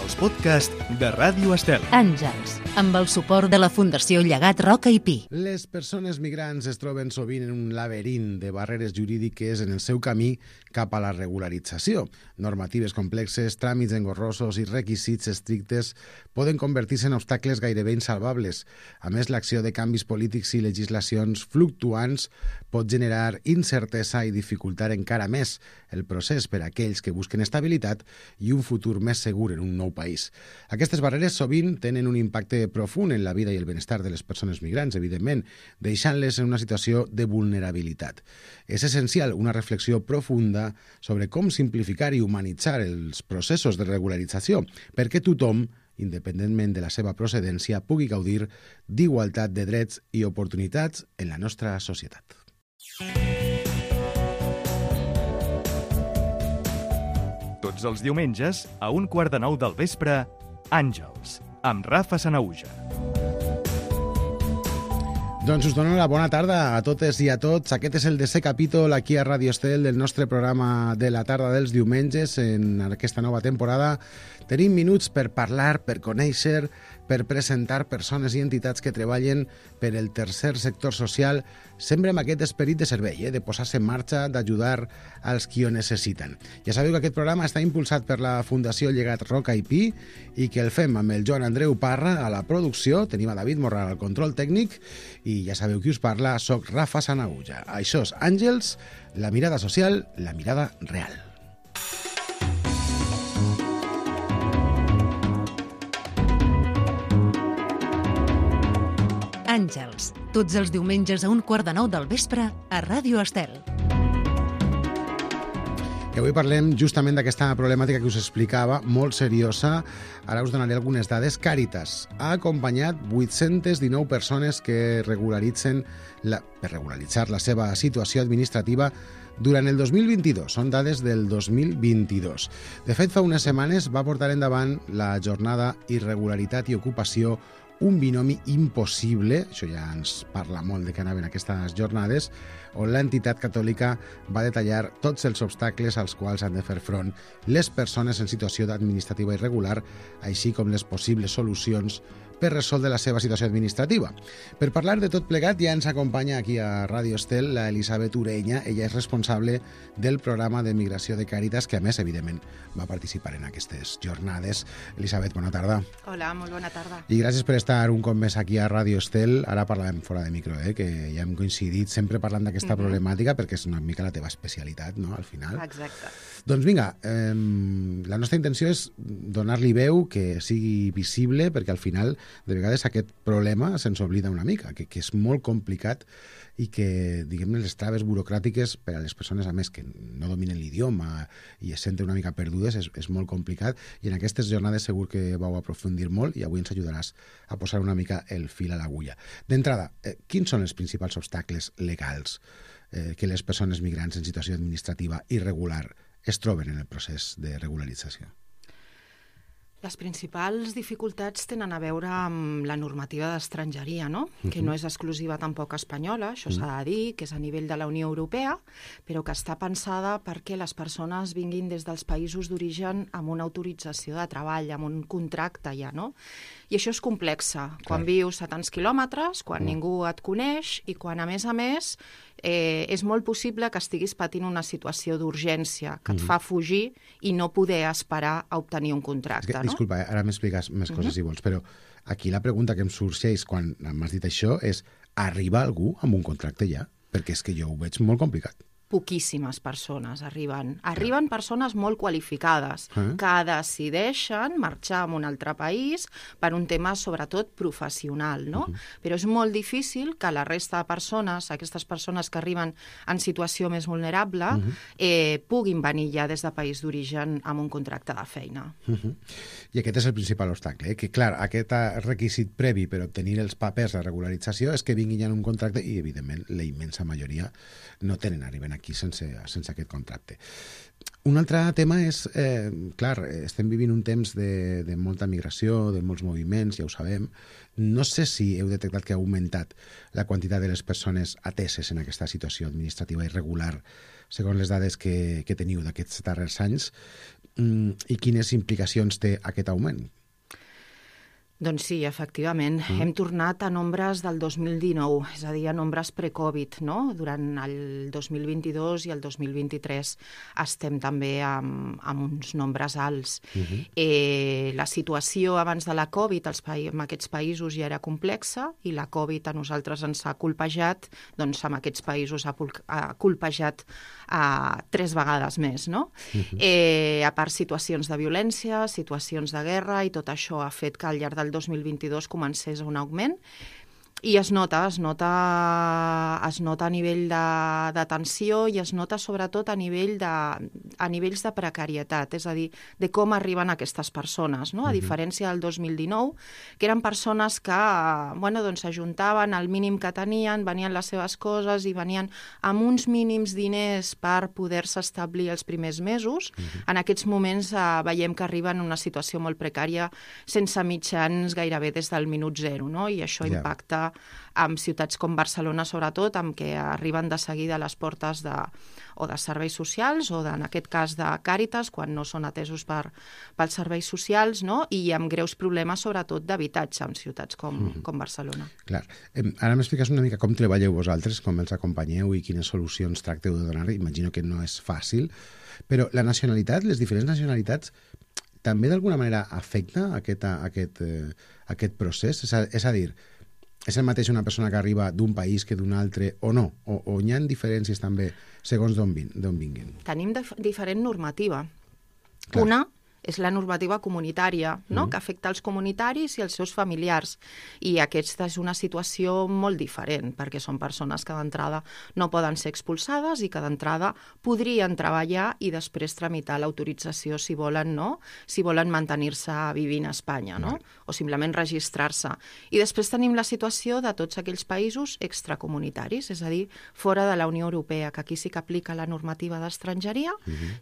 els podcasts de Ràdio Estel. Àngels, amb el suport de la Fundació Llegat Roca i Pi. Les persones migrants es troben sovint en un laberint de barreres jurídiques en el seu camí cap a la regularització. Normatives complexes, tràmits engorrosos i requisits estrictes poden convertir-se en obstacles gairebé insalvables. A més, l'acció de canvis polítics i legislacions fluctuants pot generar incertesa i dificultar encara més el procés per a aquells que busquen estabilitat i un futur més segur en un nou país. Aquestes barreres sovint tenen un impacte profund en la vida i el benestar de les persones migrants, evidentment, deixant-les en una situació de vulnerabilitat. És essencial una reflexió profunda sobre com simplificar i humanitzar els processos de regularització, perquè tothom, independentment de la seva procedència, pugui gaudir d'igualtat de drets i oportunitats en la nostra societat. Tots els diumenges, a 8:45 del vespre, Àngels, amb Rafa Sanauja. Doncs us dono la bona tarda a totes i a tots. Aquest és el 10è capítol aquí a Ràdio Estel del nostre programa de la tarda dels diumenges. En aquesta nova temporada tenim minuts per parlar, per conèixer, per presentar persones i entitats que treballen per el tercer sector social, sempre amb aquest esperit de servei, de posar-se en marxa, d'ajudar als qui ho necessiten. Ja sabeu que aquest programa està impulsat per la Fundació Llegat Roca i Pi i que el fem amb el Joan Andreu Parra a la producció, tenim a David Morral al control tècnic i ja sabeu qui us parla, soc Rafa Sanauja. Això és Àngels, la mirada social, la mirada real. Àngels, tots els diumenges a 8:45 del vespre a Ràdio Estel. I avui parlem justament d'aquesta problemàtica que us explicava, molt seriosa. Ara us donaré algunes dades. Càritas ha acompanyat 819 persones que per regularitzar la seva situació administrativa durant el 2022. Són dades del 2022. De fet, fa unes setmanes va portar endavant la jornada Irregularitat i Ocupació, un binomi impossible, això ja ens parla molt de què anaven aquestes jornades, on l'entitat catòlica va detallar tots els obstacles als quals han de fer front les persones en situació administrativa irregular, així com les possibles solucions per resoldre la seva situació administrativa. Per parlar de tot plegat ja ens acompanya aquí a Ràdio Estel la Elisabet Ureña. Ella és responsable del programa de migració de Càritas, que a més, evidentment, va participar en aquestes jornades. Elisabet, bona tarda. Hola, molt bona tarda. I gràcies per estar un cop més aquí a Ràdio Estel. Ara parlàvem fora de micro, que ja hem coincidit sempre parlant d'aquesta problemàtica, perquè és una mica la teva especialitat, no?, al final. Exacte. Doncs vinga, la nostra intenció és donar-li veu, que sigui visible, perquè al final de vegades aquest problema se'ns oblida una mica, que és molt complicat i que, diguem-ne, les traves burocràtiques per a les persones, a més, que no dominen l'idioma i es senten una mica perdudes, és molt complicat, i en aquestes jornades segur que vau aprofundir molt i avui ens ajudaràs a posar una mica el fil a l'agulla. D'entrada, quins són els principals obstacles legals que les persones migrants en situació administrativa irregular es troben en el procés de regularització? Les principals dificultats tenen a veure amb la normativa d'estrangeria, no? Que no és exclusiva tampoc espanyola, això s'ha de dir, que és a nivell de la Unió Europea, però que està pensada perquè les persones vinguin des dels països d'origen amb una autorització de treball, amb un contracte ja, no? I això és complexa, quan vius a tants quilòmetres, quan ningú et coneix i quan, a més, és molt possible que estiguis patint una situació d'urgència que et fa fugir i no poder esperar a obtenir un contracte, no? Disculpa, ara m'expliques més coses si vols, però aquí la pregunta que em sorgeix quan m'has dit això és: arriba algú amb un contracte ja? Perquè és que jo ho veig molt complicat. Poquíssimes persones arriben. Arriben persones molt qualificades que decideixen marxar a un altre país per un tema, sobretot, professional, no? Però és molt difícil que la resta de persones, aquestes persones que arriben en situació més vulnerable, puguin venir ja des de país d'origen amb un contracte de feina. I aquest és el principal obstacle, que, clar, aquest requisit previ per obtenir els papers de regularització és que vinguin ja en un contracte i, evidentment, la immensa majoria no tenen, arriben aquí sense aquest contracte. Un altre tema és, clar, estem vivint un temps de molta migració, de molts moviments, ja ho sabem. No sé si heu detectat que ha augmentat la quantitat de les persones ateses en aquesta situació administrativa irregular segons les dades que teniu d'aquests darrers anys, i quines implicacions té aquest augment? Doncs sí, efectivament. Hem tornat a nombres del 2019, és a dir, a nombres pre-Covid, no? Durant el 2022 i el 2023 estem també amb uns nombres alts. La situació abans de la Covid en aquests països ja era complexa i la Covid a nosaltres ens ha colpejat, doncs en aquests països ha colpejat 3 vegades més, no? A part situacions de violència, situacions de guerra, i tot això ha fet que al llarg del 2022 comencés un augment i es nota a nivell de tensió i es nota sobretot a nivells de precarietat, és a dir, de com arriben aquestes persones, no? A diferència del 2019, que eren persones que doncs s'ajuntaven al mínim que tenien, venien les seves coses i venien amb uns mínims diners per poder-se establir els primers mesos. En aquests moments veiem que arriben en una situació molt precària, sense mitjans gairebé des del minut zero, no? I això impacta amb ciutats com Barcelona, sobretot, amb què arriben de seguida a les portes o de serveis socials o, en aquest cas, de Càritas, quan no són atesos pels serveis socials, no? I amb greus problemes, sobretot, d'habitatge en ciutats com Barcelona. Clar. Ara m'expliques una mica com treballeu vosaltres, com els acompanyeu i quines solucions tracteu de donar. Imagino que no és fàcil, però la nacionalitat, les diferents nacionalitats, també d'alguna manera afecta aquest procés? És a dir, és el mateix una persona que arriba d'un país que d'un altre o no? O hi ha diferències també segons d'on vinguin? Tenim diferent normativa. Clar. Una és la normativa comunitària, no? Que afecta els comunitaris i els seus familiars. I aquesta és una situació molt diferent, perquè són persones que d'entrada no poden ser expulsades i que d'entrada podrien treballar i després tramitar l'autorització si volen, no? Si volen mantenir-se vivint a Espanya, no? O simplement registrar-se. I després tenim la situació de tots aquells països extracomunitaris, és a dir, fora de la Unió Europea, que aquí sí que aplica la normativa d'estrangeria,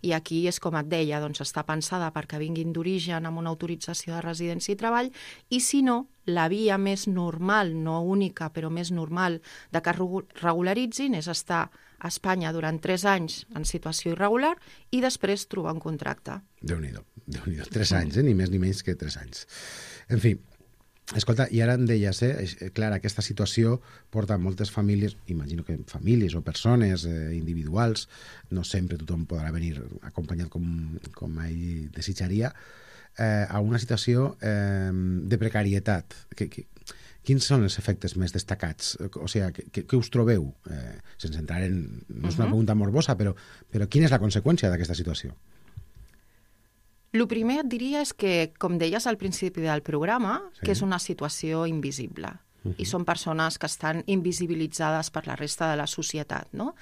i aquí és com et deia, doncs està pensada perquè vinguin d'origen amb una autorització de residència i treball, i si no, la via més normal, no única, però més normal, de que regularitzin és estar a Espanya durant 3 anys en situació irregular i després trobar un contracte. Déu-n'hi-do. 3 anys, ni més ni menys que 3 anys. En fi, escolta, i ara em deies, clar, aquesta situació porta a moltes famílies, imagino que famílies o persones individuals, no sempre tothom podrà venir acompanyat com ell desitjaria, a una situació de precarietat. Quins són els efectes més destacats? O sigui, què us trobeu? Sense entrar en... No és una pregunta morbosa, però quina és la conseqüència d'aquesta situació? El primer et diria és que, com deies al principi del programa, que és una situació invisible. I són persones que estan invisibilitzades per la resta de la societat, no?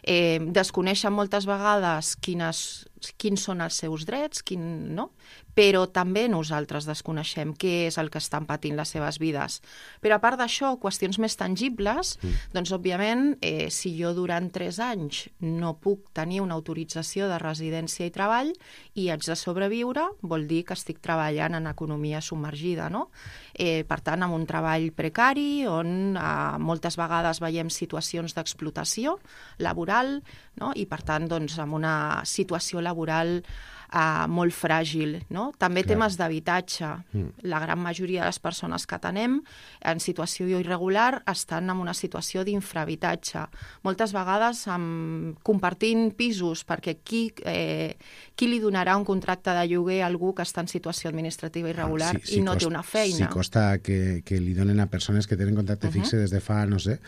Desconeixen moltes vegades quins són els seus drets, no? Però també nosaltres desconeixem què és el que estan patint les seves vides. Però a part d'això, qüestions més tangibles, doncs òbviament, si jo durant 3 anys no puc tenir una autorització de residència i treball i haig de sobreviure, vol dir que estic treballant en economia submergida, no? Per tant, amb un treball precari, on moltes vegades veiem situacions d'explotació laboral, no? I per tant, doncs, amb una situació laboral molt fràgil, no? També temes d'habitatge. La gran majoria de les persones que atenem en situació irregular estan en una situació d'infrahabitatge. Moltes vegades compartint pisos, perquè qui li donarà un contracte de lloguer a algú que està en situació administrativa irregular i no té una feina? Si costa que li donen a persones que tenen contracte fixe des de fa, no sé...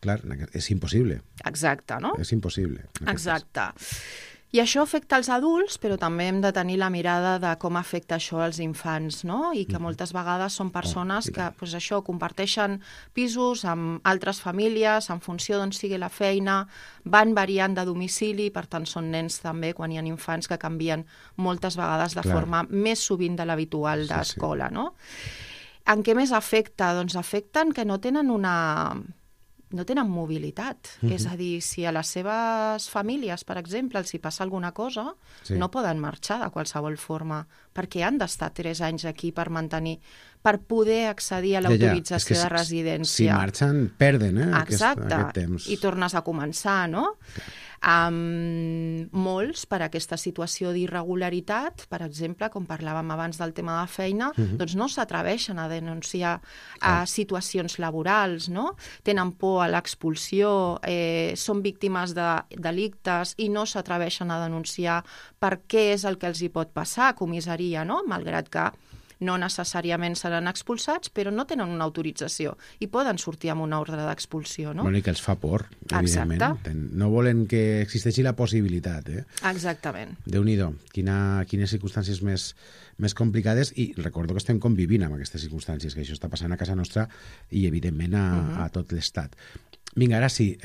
Clar, és impossible. Exacte, no? És impossible. Exacte. I això afecta els adults, però també hem de tenir la mirada de com afecta això als infants, no? I que moltes vegades són persones que, doncs això, comparteixen pisos amb altres famílies, en funció d'on sigui la feina, van variant de domicili, per tant són nens també, quan hi ha infants que canvien moltes vegades de forma més sovint de l'habitual d'escola, no? En què més afecta? Doncs afecten que no tenen mobilitat. És a dir, si a les seves famílies, per exemple, els hi passa alguna cosa, no poden marxar de qualsevol forma, perquè han d'estar 3 anys aquí per poder accedir a l'autorització de residència. Si marxen, perden aquest temps. I tornes a començar, no? Molts, per aquesta situació d'irregularitat, per exemple, com parlàvem abans del tema de feina, doncs no s'atreveixen a denunciar situacions laborals, no? Tenen por a l'expulsió, són víctimes de delictes i no s'atreveixen a denunciar per què és el que els hi pot passar a comissaria, no? Malgrat que no necessàriament seran expulsats, però no tenen una autorització i poden sortir amb una ordre d'expulsió, no? Bueno, i que els fa por, evidentment. Exacte. No volen que existeixi la possibilitat, Exactament. Déu-n'hi-do, quines circumstàncies més complicades, i recordo que estem convivint amb aquestes circumstàncies, que això està passant a casa nostra i, evidentment, a tot l'Estat. Vinga, ara sí,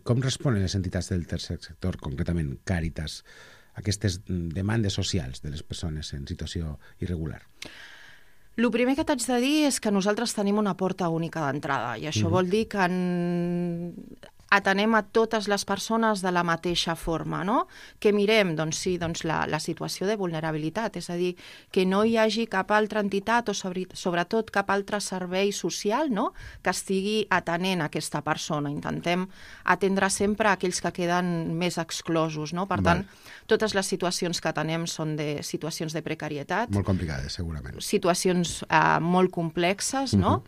com responen les entitats del tercer sector, concretament Càritas, a aquestes demandes socials de les persones en situació irregular? El primer que t'haig de dir és que nosaltres tenim una porta única d'entrada i això vol dir que atenem a totes les persones de la mateixa forma, no? Que mirem, doncs sí, la situació de vulnerabilitat, és a dir, que no hi hagi cap altra entitat o sobretot cap altre servei social, no?, que estigui atenent a aquesta persona. Intentem atendre sempre aquells que queden més exclosos, no? Per tant, totes les situacions que atenem són de situacions de precarietat. Molt complicades, segurament. Situacions molt complexes, no?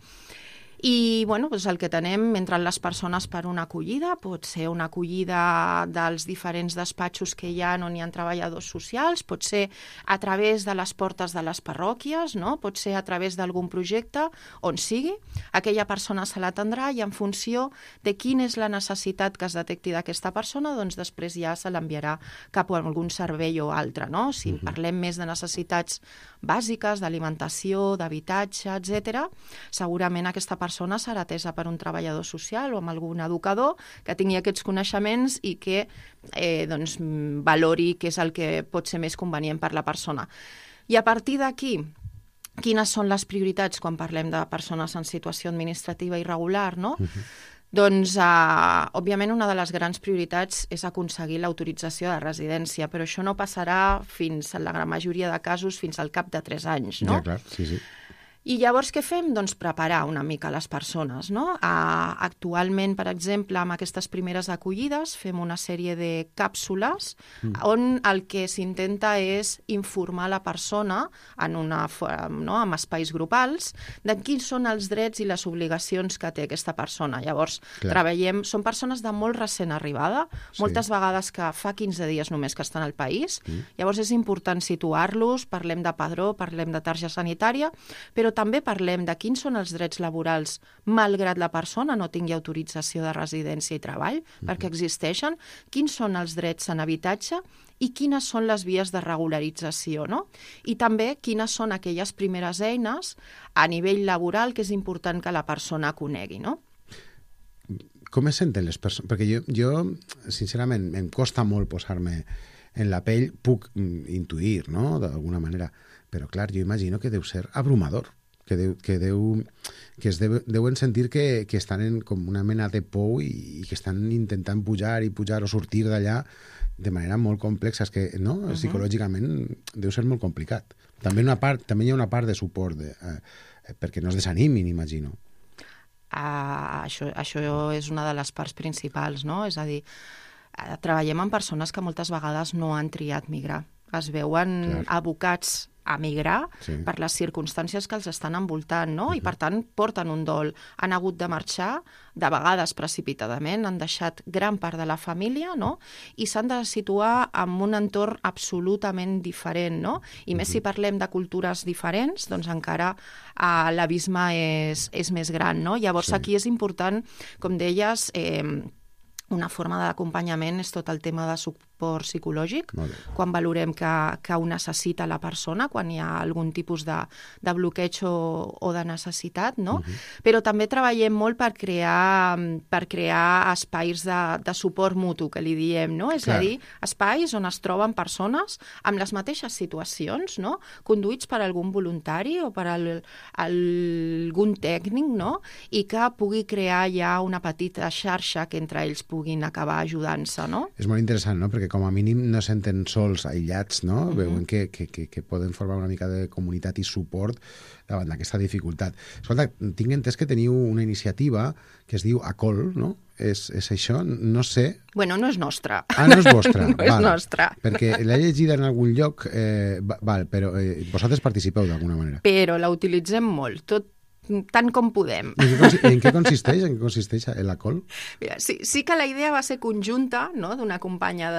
I bueno, doncs el que tenem, entren les persones per una acollida, pot ser una acollida dels diferents despatxos que hi ha on hi ha treballadors socials, pot ser a través de les portes de les parròquies, no? Pot ser a través d'algun projecte, on sigui. Aquella persona se l'atendrà i en funció de quina és la necessitat que es detecti d'aquesta persona, doncs després ja se l'enviarà cap a algun servei o altre, no? Si parlem més de necessitats bàsiques, d'alimentació, d'habitatge, etc., segurament aquesta persona serà atesa per un treballador social o amb algun educador que tingui aquests coneixements i que doncs, valori què és el que pot ser més convenient per la persona. I a partir d'aquí, quines són les prioritats quan parlem de persones en situació administrativa irregular, no? Doncs, òbviament, una de les grans prioritats és aconseguir l'autorització de residència, però això no passarà fins, en la gran majoria de casos, fins al cap de 3 anys, no? Ja, clar, sí. I llavors què fem? Doncs preparar una mica les persones, no? Actualment, per exemple, amb aquestes primeres acollides fem una sèrie de càpsules on el que s'intenta és informar la persona amb espais grupals de quins són els drets i les obligacions que té aquesta persona. Llavors, treballem... Són persones de molt recent arribada, moltes vegades que fa 15 dies només que estan al país. Llavors és important situar-los, parlem de padró, parlem de targeta sanitària, però també parlem de quins són els drets laborals malgrat la persona no tingui autorització de residència i treball, perquè existeixen, quins són els drets en habitatge i quines són les vies de regularització, no? I també quines són aquelles primeres eines a nivell laboral que és important que la persona conegui, no? Com es senten les persones? Perquè jo, sincerament, em costa molt posar-me en la pell, puc intuir, no?, d'alguna manera, però clar, jo imagino que deu ser abrumador, que es deuen sentir que estan en com una mena de pou i que estan intentant pujar o sortir d'allà de manera molt complexa. És que, no?, psicològicament deu ser molt complicat. També hi ha una part de suport perquè no es desanimin, imagino. Això és una de les parts principals, no? És a dir, treballem amb persones que moltes vegades no han triat migrar. Es veuen abocats a migrar per les circumstàncies que els estan envoltant, no? I, per tant, porten un dol. Han hagut de marxar, de vegades precipitadament, han deixat gran part de la família, no? I s'han de situar en un entorn absolutament diferent, no? I més si parlem de cultures diferents, doncs encara l'abisme és més gran, no? Llavors, aquí és important, com deies, una forma d'acompanyament és tot el tema de suport psicològic, quan valorem que ho necessita la persona, quan hi ha algun tipus de bloqueig o de necessitat, no? Però també treballem molt per crear espais de suport mutu, que li diem, no? És a dir, espais on es troben persones amb les mateixes situacions, no? Conduïts per algun voluntari o per algun tècnic, no? I que pugui crear ja una petita xarxa que entre ells puguin acabar ajudant-se, no? És molt interessant, no?, perquè com a mínim no senten sols, aïllats, no? Veuen que poden formar una mica de comunitat i suport davant d'aquesta dificultat. Escolta, tinc entès que teniu una iniciativa que es diu ACOL, no? És això? No sé. Bueno, no és nostra. Ah, no és vostra. No és nostra. Perquè l'he llegida en algun lloc, però vosaltres participeu d'alguna manera. Però la utilitzem molt, tant com podem. En què consisteix? En què consisteix l'ACOL? Mira, sí que la idea va ser conjunta, no?, d'una companya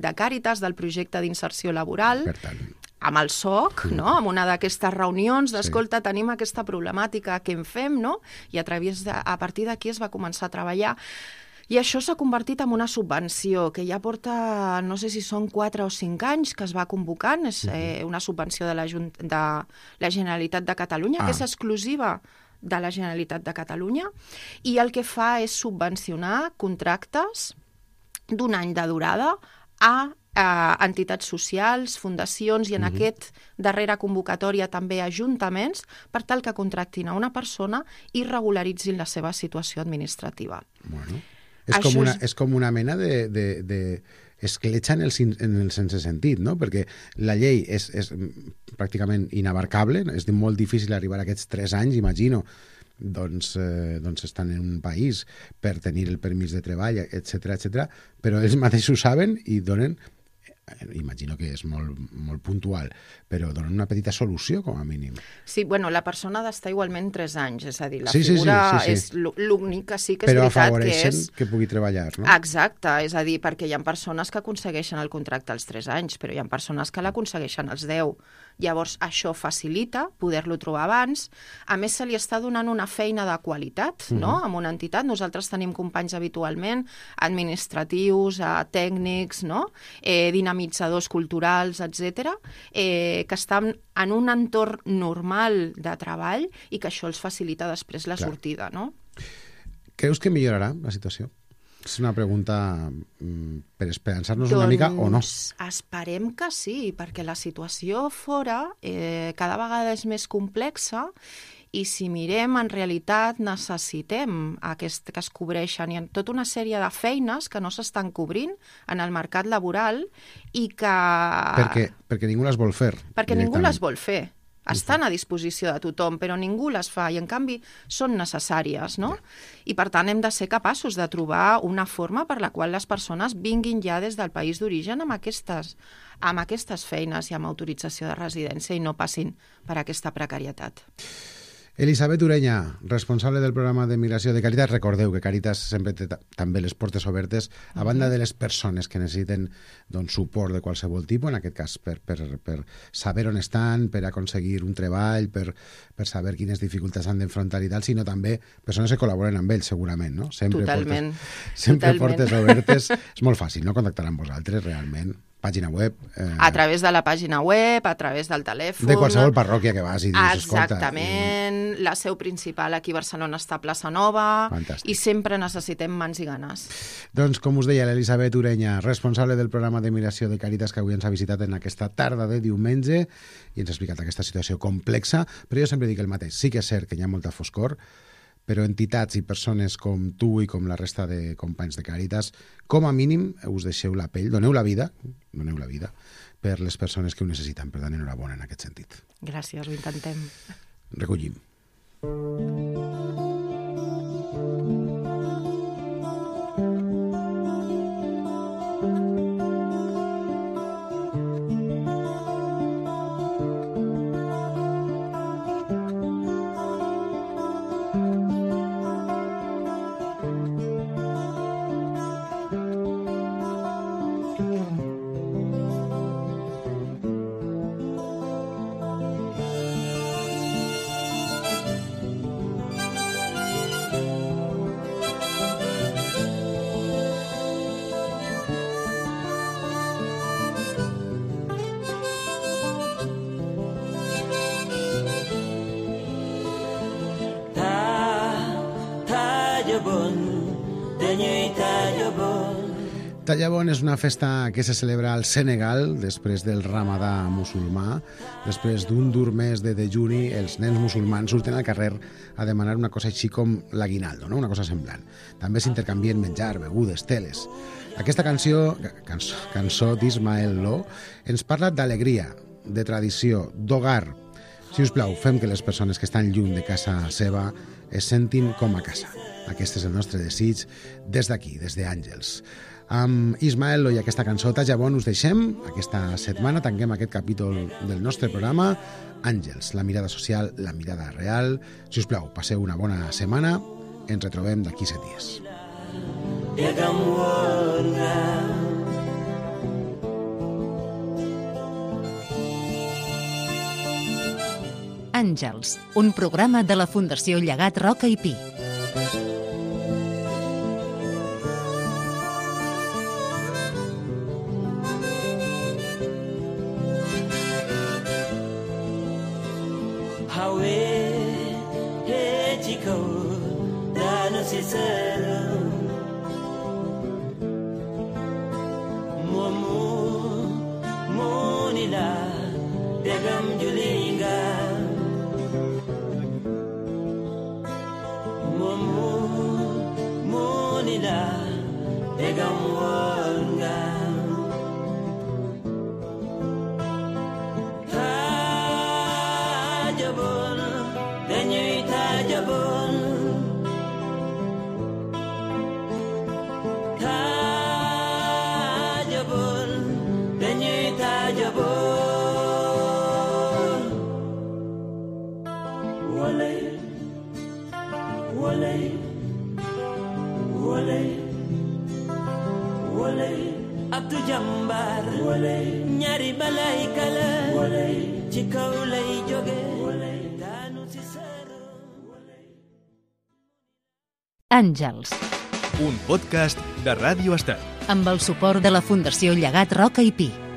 de Càritas, del projecte d'inserció laboral, Per tant, amb el SOC, no?, amb una d'aquestes reunions d'escolta, tenim aquesta problemàtica, què en fem, no? I a partir d'aquí es va començar a treballar. I això s'ha convertit en una subvenció que ja porta, no sé si són 4 o 5 anys que es va convocant, és una subvenció de la Generalitat de Catalunya, que és exclusiva de la Generalitat de Catalunya, i el que fa és subvencionar contractes d'un any de durada a entitats socials, fundacions i en aquest darrera convocatòria també ajuntaments per tal que contractin a una persona i regularitzin la seva situació administrativa. Bueno, és com una mena de escletxa en el sense sentit, no? Perquè la llei és pràcticament inabarcable, és molt difícil arribar a aquests 3 anys, imagino, doncs estan en un país per tenir el permís de treball, etc, però ells mateixos saben i donen, imagino que és molt puntual, però donen una petita solució, com a mínim. Sí, bueno, la persona ha d'estar igualment 3 anys, és a dir, la figura és l'únic que sí que és veritat que és... Però afavoreixen que pugui treballar, no? Exacte, és a dir, perquè hi ha persones que aconsegueixen el contracte als 3 anys, però hi ha persones que l'aconsegueixen als 10. Llavors, això facilita poder-lo trobar abans. A més, se li està donant una feina de qualitat, no?, amb una entitat. Nosaltres tenim companys habitualment, administratius, tècnics, no?, dinamitzadors culturals, etc., que estan en un entorn normal de treball i que això els facilita després la sortida, no? Creus que millorarà la situació? És una pregunta per esperançar-nos una mica o no? Doncs esperem que sí, perquè la situació fora cada vegada és més complexa i si mirem, en realitat necessitem que es cobreixen. Hi ha tota una sèrie de feines que no s'estan cobrint en el mercat laboral i que... Perquè ningú les vol fer. Perquè ningú les vol fer. Estan a disposició de tothom, però ningú les fa i, en canvi, són necessàries, no? I, per tant, hem de ser capaços de trobar una forma per la qual les persones vinguin ja des del país d'origen amb aquestes feines i amb autorització de residència i no passin per aquesta precarietat. Elisabet Ureña, responsable del programa de migració de Càritas. Recordeu que Càritas sempre té també les portes obertes a banda de les persones que necessiten suport de qualsevol tipus, en aquest cas per saber on estan, per aconseguir un treball, per saber quines dificultats han d'enfrontar i tal, sinó també persones que col·laboren amb ells, segurament, no? Totalment. Sempre portes obertes. És molt fàcil, no?, contactar amb vosaltres, realment. Pàgina web... A través de la pàgina web, a través del telèfon... De qualsevol parròquia que vas i dius, escolta... Exactament. La seu principal aquí a Barcelona està a Plaça Nova. Fantàstic. I sempre necessitem mans i ganes. Doncs, com us deia, l'Elisabet Ureña, responsable del programa de migració de Càritas, que avui ens ha visitat en aquesta tarda de diumenge i ens ha explicat aquesta situació complexa, però jo sempre dic el mateix. Sí que és cert que hi ha molta foscor, però entitats i persones com tu i com la resta de companys de Càritas, com a mínim us deixeu la pell, doneu la vida per les persones que ho necessiten. Per tant, enhorabona en aquest sentit. Gràcies, ho intentem. Recollim. Tallabon és una festa que se celebra al Senegal després del Ramadà musulmà. Després d'un dur mes de dejuni, els nens musulmans surten al carrer a demanar una cosa així com l'aguinaldo, no? Una cosa semblant. També s'intercanvien menjar, begudes, teles. Aquesta cançó d'Ismael Lo ens parla d'alegria, de tradició, d'hogar. Si us plau, fem que les persones que estan lluny de casa seva es sentin com a casa. Aquest és el nostre desig des d'aquí, des d'Àngels. Amb Ismael Lo i aquesta cançó Tallabon us deixem. Aquesta setmana tanquem aquest capítol del nostre programa. Àngels, la mirada social, la mirada real. Si us plau, passeu una bona setmana. Ens retrobem d'aquí 7 dies. Àngels, un programa de la Fundació Llegat Roca i Pi. Abdu Jambar ñaari balay kala ci kaw lay jóge daanu ci sar. Àngels, un podcast de Ràdio Estat. amb el suport de la Fundació Llegat Roca i Pi.